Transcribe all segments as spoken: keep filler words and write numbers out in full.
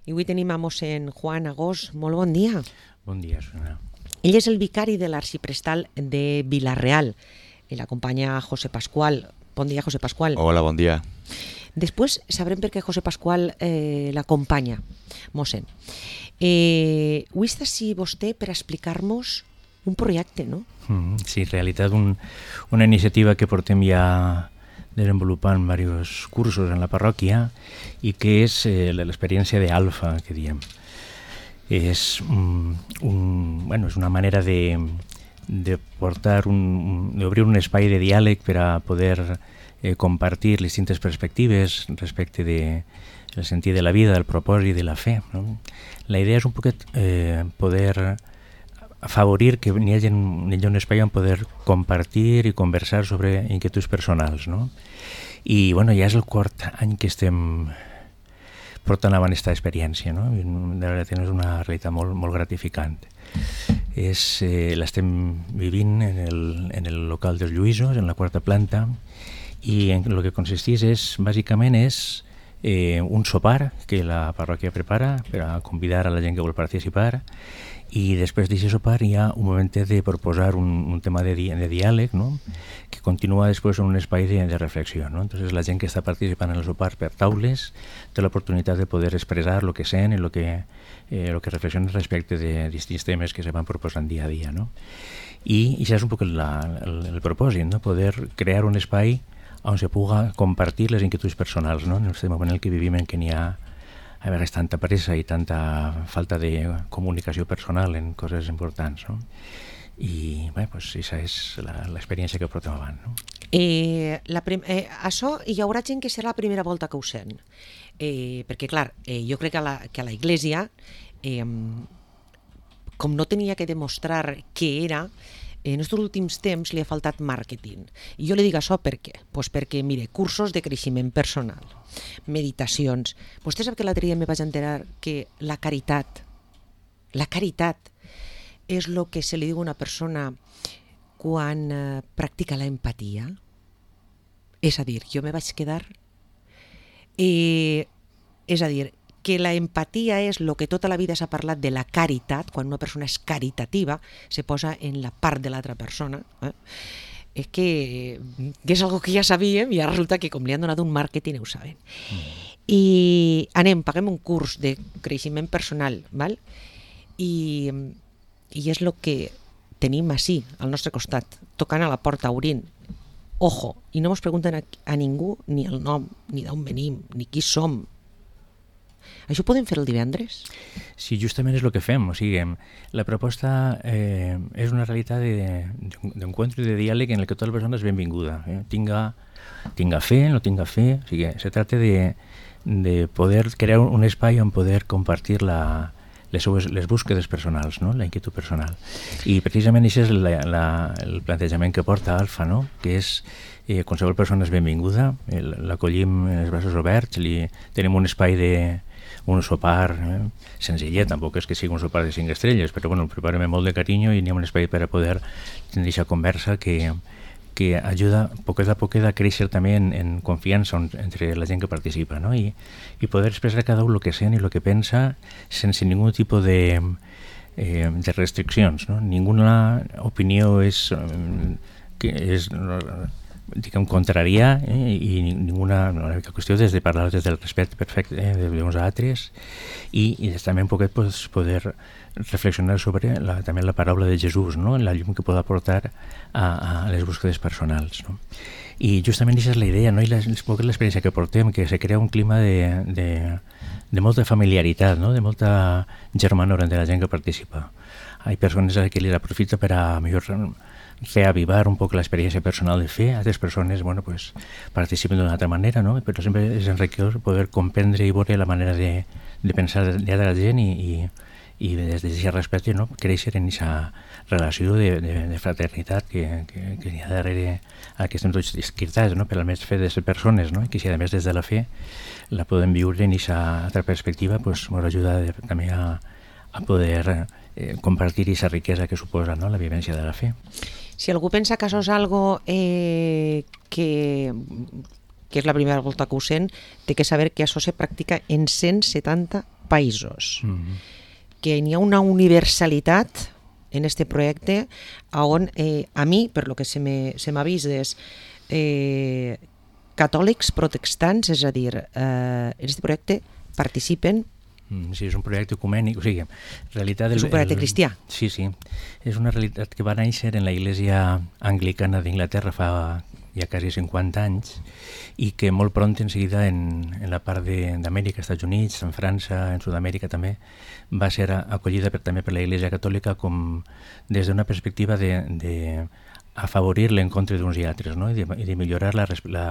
I avui tenim a mossèn Juan Agós. Molt bon dia. Bon dia, Susana. Ell és el vicari de l'arxiprestal de Vila-real. I l'acompanya José Pascual. Bon dia, José Pascual. Hola, bon dia. Després sabrem per què José Pascual eh, l'acompanya, mossèn. Eh, avui està així vostè per explicar-nos un projecte, no? Mm, sí, en realitat un, una iniciativa que portem ja desenvolupant diversos cursos en la parròquia i que és eh, l'experiència d'Alfa, que diem. És, un, un, bueno, és una manera de, de portar un, d'obrir un espai de diàleg per a poder eh, compartir les distintes perspectives respecte de el sentit de la vida, del propòsit de la fe, no? La idea és un poquet eh, poder afavorir que hi hagi un espai on poder compartir i conversar sobre inquietuds personals, no? I bueno, ja és el quart any que estem portant avant aquesta experiència, no? I de veritat és una realitat molt, molt gratificant. És, eh, l'estem vivint en el, en el local dels Lluïsos, en la quarta planta, i en el que consisteix és, bàsicament, és eh, un sopar que la parròquia prepara per a convidar a la gent que vol participar, i després d'aquest sopar hi ha un moment de proposar un, un tema de, di de diàleg, no? Que continua després en un espai de, de reflexió, no? Entonces la gent que està participant en el sopar per taules té l'oportunitat de poder expressar el que sent i el que, eh, lo que reflexiona respecte de distints temes que se van proposant dia a dia, no? I això és un poc la, el, el propòsit, no? Poder crear un espai on se puga compartir les inquietuds personals, no? En el moment en què vivim, en què n'hi ha a vegades tanta pressa i tanta falta de comunicació personal en coses importants, no? I bé, doncs aquesta és l'experiència que portem avant, no? Eh, la eh, això hi haurà gent que serà la primera volta que ho sent, eh, perquè clar, eh, jo crec que a la, que a la Iglesia, eh, com no tenia que demostrar què era, en els últims temps li ha faltat màrqueting. I jo li dic això per què? Pues perquè, mire, cursos de creixement personal, meditacions. Vostè sap que l'altre dia me vaig enterar que la caritat, la caritat és el que se li diu a una persona quan eh, practica la empatia. És a dir, jo me vaig quedar... Eh, és a dir, que la empatia és el que tota la vida s'ha parlat de la caritat, quan una persona és caritativa, se posa en la part de l'altra persona. Eh? És que, que és algo que ja sabíem i ara resulta que com li han donat un màrqueting ho saben. Mm. I anem, paguem un curs de creixement personal, val? I, i és el que tenim així, al nostre costat, tocant a la porta, obrint. Ojo, i no ens pregunten a, a ningú ni el nom, ni d'on venim, ni qui som. Això ho podem fer el divendres? Sí, justament és el que fem. O sigui, la proposta eh, és una realitat d'encuentro i de diàleg en el que tota la persona és benvinguda. Eh? Tinga, tinga fe, no tinga fe. O sigui, se tracta de, de poder crear un espai on poder compartir la, les, seues, les búsquedes personals, no? La inquietud personal. I precisament això és la, la, el plantejament que porta Alfa, no? Que és eh, qualsevol persona és benvinguda, l'acollim en els braços oberts, li, tenim un espai de un sopar eh, senzillet, tampoc és que sigui un sopar de cinc estrelles, però bueno, el preparem molt de carinyo i n'hi ha un espai per a poder tenir aquesta conversa que, que ajuda poquet a poquet a créixer també en, en confiança entre la gent que participa, no? I, i poder expressar cada un el que sent i el que pensa sense ningú tipus de, eh, de restriccions, no? Ninguna opinió és, eh, que és diguem, contrària eh, i ninguna la qüestió és de parlar des del respecte perfecte eh, d'uns altres i, i també un poquet pues, poder reflexionar sobre la, també la paraula de Jesús, no? La llum que pot aportar a, a les búsquedes personals, no? I justament aquesta és la idea, no? I l'experiència que portem, que se crea un clima de, de, de molta familiaritat, no? De molta germanor entre la gent que participa. Hi ha persones que li aprofita per a millor reavivar un poc l'experiència personal de fe. Altres persones, bueno, pues, participen d'una altra manera, no? Però sempre és enriquidor poder comprendre i veure la manera de, de pensar de la gent i, i, i des d'aquest respecte, no? Créixer en aquesta relació de, de, de fraternitat que, que, que hi ha darrere a que estem tots escritats, no? Per al més fe de ser persones, no? I que si a més des de la fe la podem viure en aquesta altra perspectiva, pues, ens ajuda de, també a, a poder eh, compartir aquesta riquesa que suposa, no? La vivència de la fe. Si algú pensa que això és algo eh, que, que és la primera volta que ho sent, té que saber que això se practica en cent setanta països, Mm-hmm. que n'hi ha una universalitat en este projecte on eh, a mi, per lo que se m'ha vist, és eh, catòlics protestants, és a dir, eh, en este projecte participen. Mm, sí, és un projecte ecumènic, o sigui, en realitat... És un projecte el, cristià. Sí, sí, és una realitat que va néixer en la Iglesia Anglicana d'Inglaterra fa ja quasi cinquanta anys i que molt pront en seguida en, en la part d'Amèrica, Estats Units, en França, en Sud-amèrica també, va ser acollida per, també per la Iglesia Catòlica com des d'una perspectiva de, de afavorir l'encontre d'uns i altres, no? I, de, i de millorar la, la,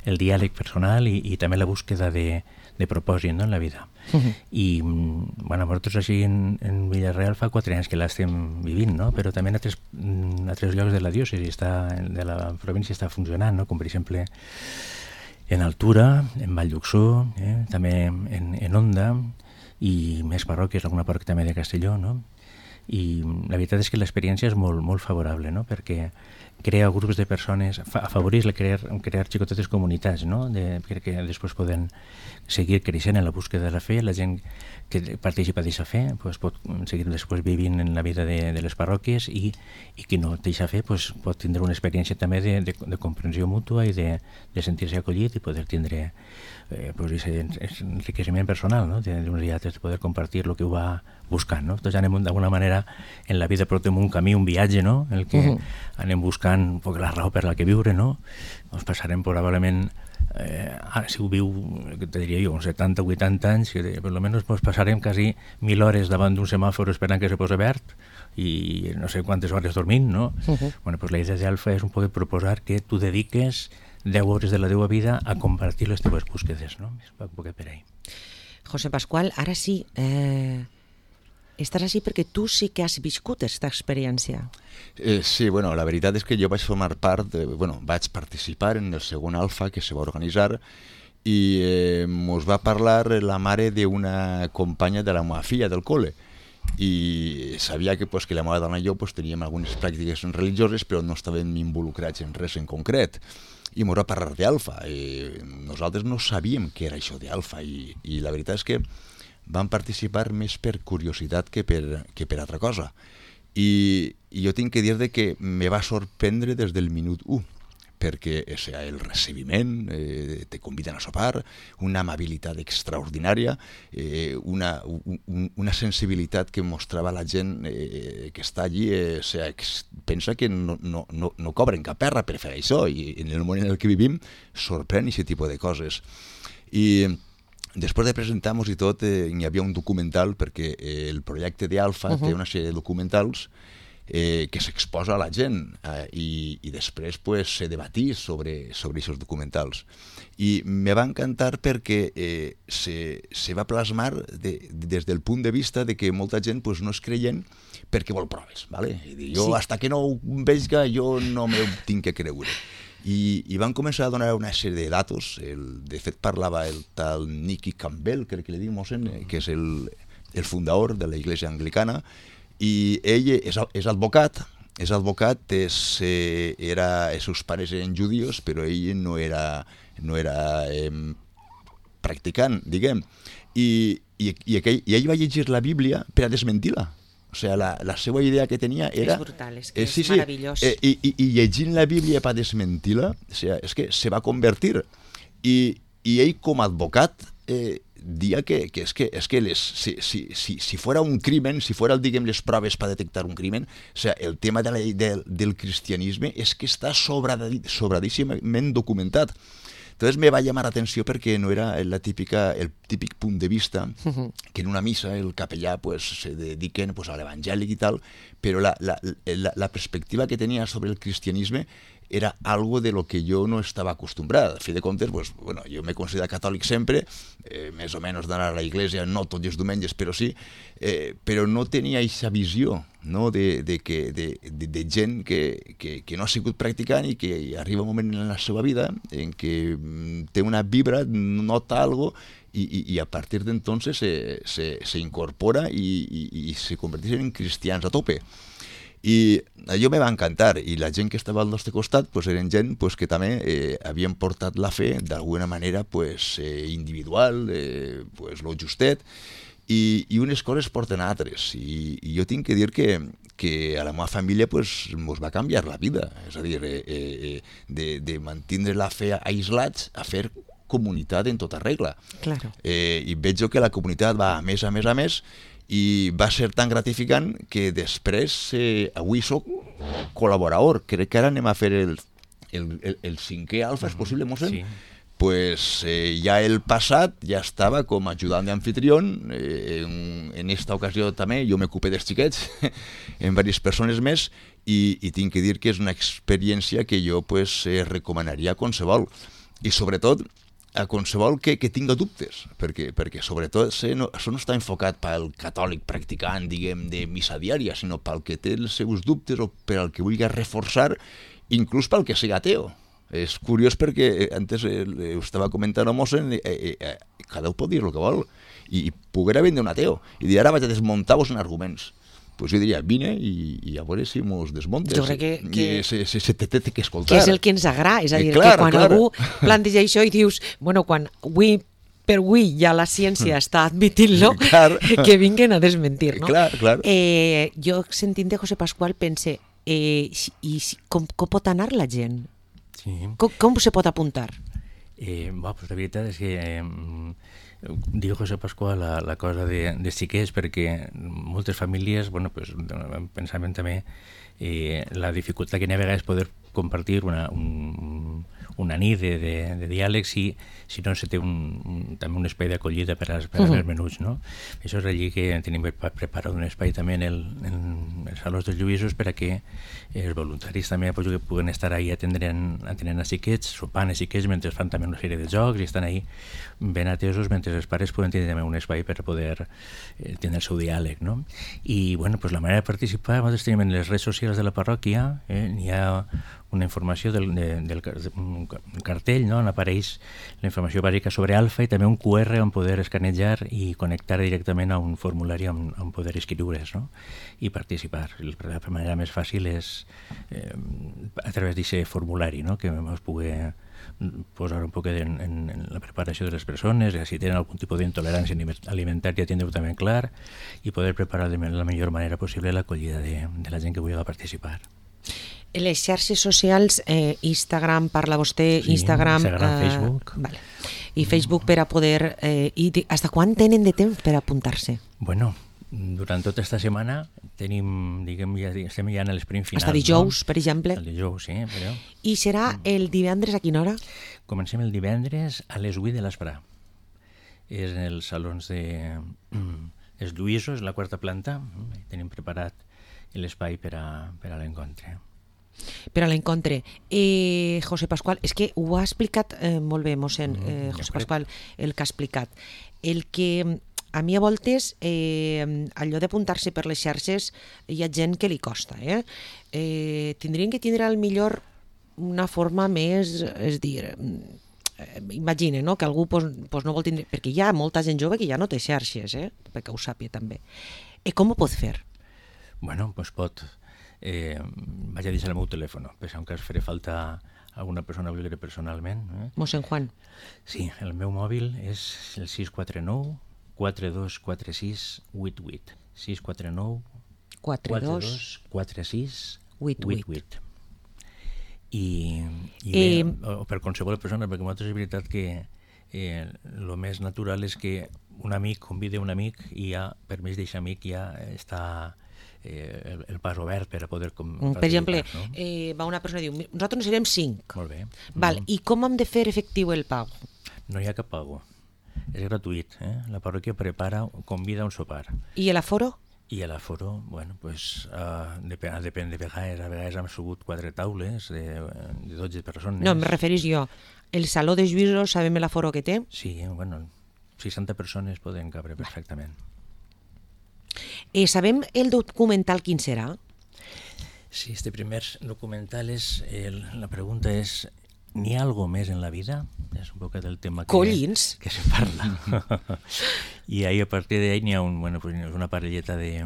el diàleg personal i, i també la búsqueda de, de propòsit, no? En la vida. Uh-huh. I bueno, nosaltres així en, en Villarreal fa quatre anys que l'estem vivint, no? Però també en altres, en altres llocs de la diòcesi, està, de la província està funcionant, no? Com per exemple en Altura, en Vall d'Uxó, eh? També en, en Onda i més parròquies, alguna parròquia també de Castelló, no? I la veritat és que l'experiència és molt, molt favorable, no? Perquè crea grups de persones, afavoreix la crear, crear xicotetes comunitats, no? De, perquè després poden seguir creixent en la búsqueda de la fe, la gent que participa d'aquesta fe pues, pot seguir després vivint en la vida de, de les parròquies i, i qui no té aquesta fe pues, pot tindre una experiència també de, de, de comprensió mútua i de, de sentir-se acollit i poder tindre eh, pues, aquest enriqueixement personal, no? D'uns i altres, de poder compartir el que ho va buscant, no? Tots anem d'alguna manera en la vida portem un camí, un viatge, no? En el que uh-huh. anem buscant un poc la raó per la que viure, no? Ens passarem probablement Eh, si ho viu, te diria jo, uns setanta o vuitanta anys, que per almenys pues, passarem quasi mil hores davant d'un semàfor esperant que se posi verd i no sé quantes hores dormint, no? Uh-huh. Bueno, pues la idea d'Alfa és un poc proposar que tu dediques deu hores de la teva vida a compartir les teves búsquedes, no? És un poc per ahí. José Pascual, ara sí, eh, estàs així perquè tu sí que has viscut aquesta experiència. Eh, sí, bueno, la veritat és que jo vaig formar part, de, bueno, vaig participar en el segon Alfa que se va organitzar i eh, mos va parlar la mare d'una companya de la meva filla del col·le i sabia que, pues, que la meva dona i jo pues, teníem algunes pràctiques religioses però no estàvem involucrats en res en concret i mos va parlar d'Alfa i nosaltres no sabíem què era això d'Alfa i, i la veritat és que vam participar més per curiositat que per, que per altra cosa. I, i jo tinc que dir que me va sorprendre des del minut u, perquè o sigui, el recibiment, eh, te conviden a sopar, una amabilitat extraordinària, eh, una, un, una sensibilitat que mostrava la gent eh, que està allí, eh, o sigui, que pensa que no, no, no, no cobren cap perra per fer això, i en el món en el que vivim sorprèn aquest tipus de coses. I després de presentar-nos i tot, eh, hi havia un documental, perquè eh, el projecte d'Alfa uh-huh. té una sèrie de documentals eh, que s'exposa a la gent eh, i, i després pues, se debatís sobre sobre aquests documentals. I me va encantar perquè eh, se, se va plasmar de, des del punt de vista de que molta gent pues, no és creient perquè vol proves. ¿Vale? I dir, jo, sí. hasta que no ho veiga, jo no m'ho tinc que creure. I, i van començar a donar una sèrie de datos. El, de fet, parlava el tal Nicky Campbell, crec que li diu Mosen, que és el, el fundador de la Iglesia Anglicana, i ell és, és advocat, és advocat, és, eh, era, els seus pares eren judíos, però ell no era, no era eh, practicant, diguem. I, i, i, aquell, I ell va llegir la Bíblia per a desmentir-la. O sigui, la, la seva idea que tenia era... És brutal, és que eh, sí, és meravellós. Sí, eh, i, i llegint la Bíblia per desmentir-la, o sigui, és que se va convertir. I, i ell, com a advocat, eh, dia que, que és que, és que les, si, si, si, si fora un crimen, si fora, diguem, les proves per detectar un crimen, o sigui, el tema de la, de, del cristianisme és que està sobradíssimament documentat. Entonces me va llamar la atenció perquè no era la típica, el típic punt de vista que en una missa el capellà pues, se dediquen pues, a l'evangèlic i tal, però la, la, la, la perspectiva que tenia sobre el cristianisme era algo de lo que jo no estava acostumbrat. A fi de comptes, pues, bueno, jo m'he considerat catòlic sempre, eh, més o menys d'anar a la iglesia, no tots els diumenges, però sí, eh, però no tenia aquesta visió, no, de, de, que, de, de, de gent que, que, que no ha sigut practicant i que arriba un moment en la seva vida en què té una vibra, nota algo i, i, i a partir d'entonces se, se, se incorpora i, i, i se converteix en cristians a tope. I allò me va encantar, i la gent que estava al nostre costat pues, eren gent pues, que també eh, havien portat la fe d'alguna manera pues, eh, individual, eh, pues, lo justet, i, i unes coses porten altres. I, i jo tinc que dir que, que a la meva família pues, mos va canviar la vida. És a dir, eh, eh, de, de mantenir la fe aislats a fer comunitat en tota regla. Claro. Eh, I veig que la comunitat va a més, a més, a més, i va ser tan gratificant que després, eh, avui soc col·laborador. Crec que ara anem a fer el, el, el, el cinquè alfa, és possible, mossèn? Sí. Pues eh, ja el passat ja estava com ajudant d'anfitrión, eh, en, en esta ocasió també jo m'ocupé dels xiquets, en diverses persones més, i, i tinc que dir que és una experiència que jo pues, eh, recomanaria a qualsevol. I sobretot a qualsevol que, que tinga dubtes, perquè, perquè sobretot eh, no, això no està enfocat pel catòlic practicant, diguem, de missa diària, sinó pel que té els seus dubtes o per al que vulgui reforçar, inclús pel que sigui ateo. És curiós perquè antes eh, ho estava comentant a mossèn, eh, eh, eh, cada un pot dir el que vol, i, i poguera vindre un ateo, i dir ara vaig a desmuntar-vos en arguments. Pues jo diria, vine i, i a veure si mos desmontes. Jo crec que... que... Se, se, se, te té que escoltar. Que és el que ens agrada, és a dir, eh, clar, que quan clar. algú planteja això i dius, bueno, quan avui per avui ja la ciència està admitint-lo, que vinguin a desmentir, no? Clar, clar. Eh, jo sentint de José Pascual pense, eh, i com, com pot anar la gent? Sí. Com, com se pot apuntar? Eh, bueno, pues la veritat és que eh, diu José Pascual la, la cosa de, de xiquets, perquè moltes famílies, bueno, pues, pensament també eh, la dificultat que n'hi ha a vegades poder compartir una, un, una nit de, de, de diàleg si, si no se té un, un, també un espai d'acollida per, als, per als uh-huh. menuts, no? Això és allí que tenim preparat un espai també en el, en els salons dels Lluïsos per a que els voluntaris també pues, que puguen estar ahí atenent, atenent a xiquets, sopant a xiquets mentre fan també una sèrie de jocs i estan ahí ben atesos mentre els pares poden tenir també un espai per poder eh, tenir el seu diàleg, no? I bueno, pues, la manera de participar, nosaltres tenim en les redes socials de la parròquia, eh, n'hi ha una informació del, de, del un cartell, no? On apareix la informació bàsica sobre Alfa i també un cu erre on poder escanejar i connectar directament a un formulari on, on poder escriure's, no? I participar. La manera més fàcil és eh, a través d'aquest formulari, no? Que ens pugui posar un poc en, en, en la preparació de les persones, si tenen algun tipus d'intolerància alimentària, tindre-ho també clar i poder preparar de la millor manera possible l'acollida de, de la gent que vulgui participar. En les xarxes socials, eh, Instagram, parla vostè, sí, Instagram... Instagram, eh, Facebook. Vale. I Facebook per a poder... Eh, i de, hasta quan tenen de temps per apuntar-se? Bueno, durant tota esta setmana tenim, diguem, ja, estem ja en l'esprint final. Hasta dijous, no? per exemple. El dijous, sí. Però... I serà el divendres a quina hora? Comencem el divendres a les vuit de l'esprà. És en els salons de... Els Lluïsos, la quarta planta. Tenim preparat l'espai per a, per a l'encontre. Per a l'encontre. Eh, José Pascual, és que ho ha explicat eh, molt bé, mossèn, eh, José Pascual, el que ha explicat. El que a mi a voltes, eh, allò d'apuntar-se per les xarxes, hi ha gent que li costa. Eh? Eh, tindrien que tindre al millor una forma més, és dir, eh, imagina, no? Que algú pues, pues no vol tindre... Perquè hi ha molta gent jove que ja no té xarxes, eh? Perquè ho sàpia també. Eh, com ho pot fer? Bueno, doncs pot... Eh, vaig a deixar el meu telèfon, per si en cas faré falta alguna persona vulgui personalment. Eh? Mossèn Juan. Sí, el meu mòbil és el sis quatre nou quatre dos quatre sis vuit vuit. sis quatre nou quatre dos quatre sis vuit vuit. I, i bé, eh, o per qualsevol persona, perquè nosaltres és veritat que eh, el més natural és que un amic convida un amic i ja, per més d'aquest amic ja està... Eh, el, el pas obert per a poder... Com, per exemple, no? eh, va una persona i diu, nosaltres serem cinc. Molt bé. Val, mm. I com hem de fer efectiu el pago? No hi ha cap pago. És gratuït. Eh? La parròquia prepara, convida un sopar. I l'aforo? I l'aforo, bueno, pues, uh, depèn, depèn de vegades. A vegades hem subut quatre taules de, de dotze persones. No, em referís jo. El Saló de Lluïsos, sabem l'aforo que té? Sí, bueno, seixanta persones poden cabre perfectament. Eh, sabem el documental quin serà? Sí, este primer documental és... El, la pregunta és, ¿n'hi ha algo més en la vida? És un poc del tema que, Collins. que se parla. I ahí, a partir d'ahí n'hi ha un, bueno, pues, una parelleta de,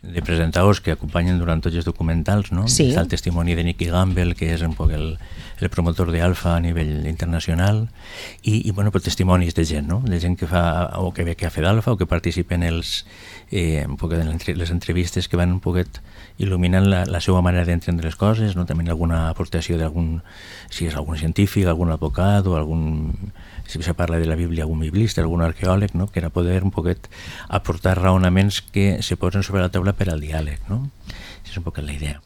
de presentadors que acompanyen durant tots els documentals, no? Sí. Està el testimoni de Nicky Gamble, que és un poc el, el promotor d'Alfa a nivell internacional, i, i bueno, pues, testimonis de gent, no? De gent que fa, o que ve que ha fet Alfa, o que participa en els, eh, un poc en les entrevistes que van un poquet il·luminant la, la seva manera d'entendre les coses, no? També alguna aportació d'algun, si és algun científic, algun advocat, o algun, si se parla de la Bíblia, algun biblista, algun arqueòleg, no? Que era poder un poquet aportar raonaments que se posen sobre la taula per al diàleg, no? És un poc la idea.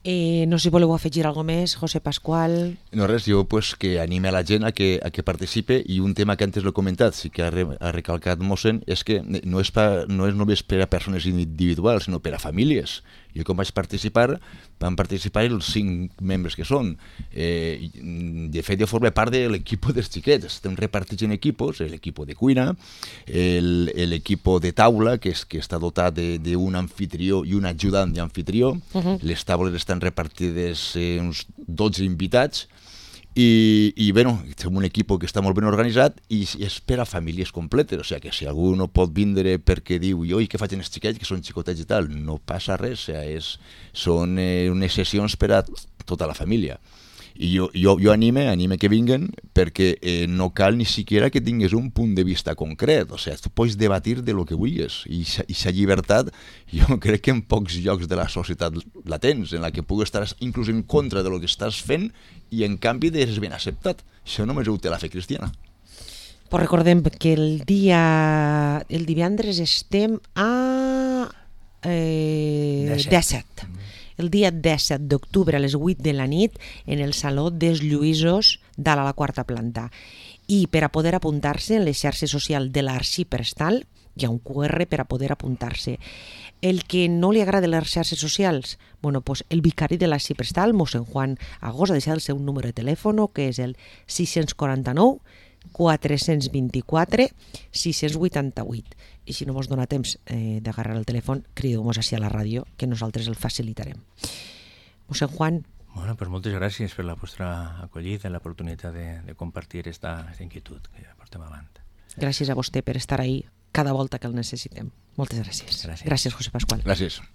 Eh, no sé si voleu afegir alguna més, José Pascual. No res, jo pues, que anime a la gent a que, a que participe, i un tema que antes l'he comentat, sí que ha, re, ha recalcat Mossen, és que no és, pa, no és només per a persones individuals, sinó per a famílies. Jo com vaig participar, van participar els cinc membres que són. Eh, de fet, jo formo part de l'equip dels xiquets. Estem repartits en equipos, l'equip de cuina, l'equip de taula, que, és, que està dotat d'un anfitrió i un ajudant d'anfitrió. Uh-huh. Les taules estan repartides eh, uns dotze invitats, i, i bueno, som un equip que està molt ben organitzat i és per a famílies completes, o sigui que si algú no pot vindre perquè diu jo i què faig els xiquets que són xicotets i tal, no passa res, o sigui, és, són eh, unes sessions per a tota la família. I jo, jo, jo anime, anime que vinguen, perquè eh, no cal ni siquiera que tingues un punt de vista concret, o sigui, tu pots debatir de lo que vulguis, i aquesta llibertat jo crec que en pocs llocs de la societat la tens, en la que puguis estar inclús en contra de lo que estàs fent i en canvi és ben acceptat. Això només ho té la fe cristiana. Pues recordem que el dia el divendres estem a eh, disset. El dia disset d'octubre a les vuit de la nit en el Saló dels Lluïsos dalt a la quarta planta. I per a poder apuntar-se en les xarxes socials de l'Arxiprestal hi ha un cu erre per a poder apuntar-se. El que no li agrada les xarxes socials, bueno, pues el vicari de l'Arxiprestal, mossèn Juan Agós, ha deixat el seu número de telèfon, que és el sis quatre nou, quatre dos quatre, sis vuit vuit. I si no vos dona temps eh, d'agarrar el telèfon, crideu-nos així a la ràdio, que nosaltres el facilitarem. Mossèn Juan. Bueno, pues moltes gràcies per la vostra acollida i l'oportunitat de, de compartir esta, esta inquietud que portem avant. Gràcies a vostè per estar ahí cada volta que el necessitem. Moltes gràcies. Gràcies, gràcies José Pascual. Gràcies.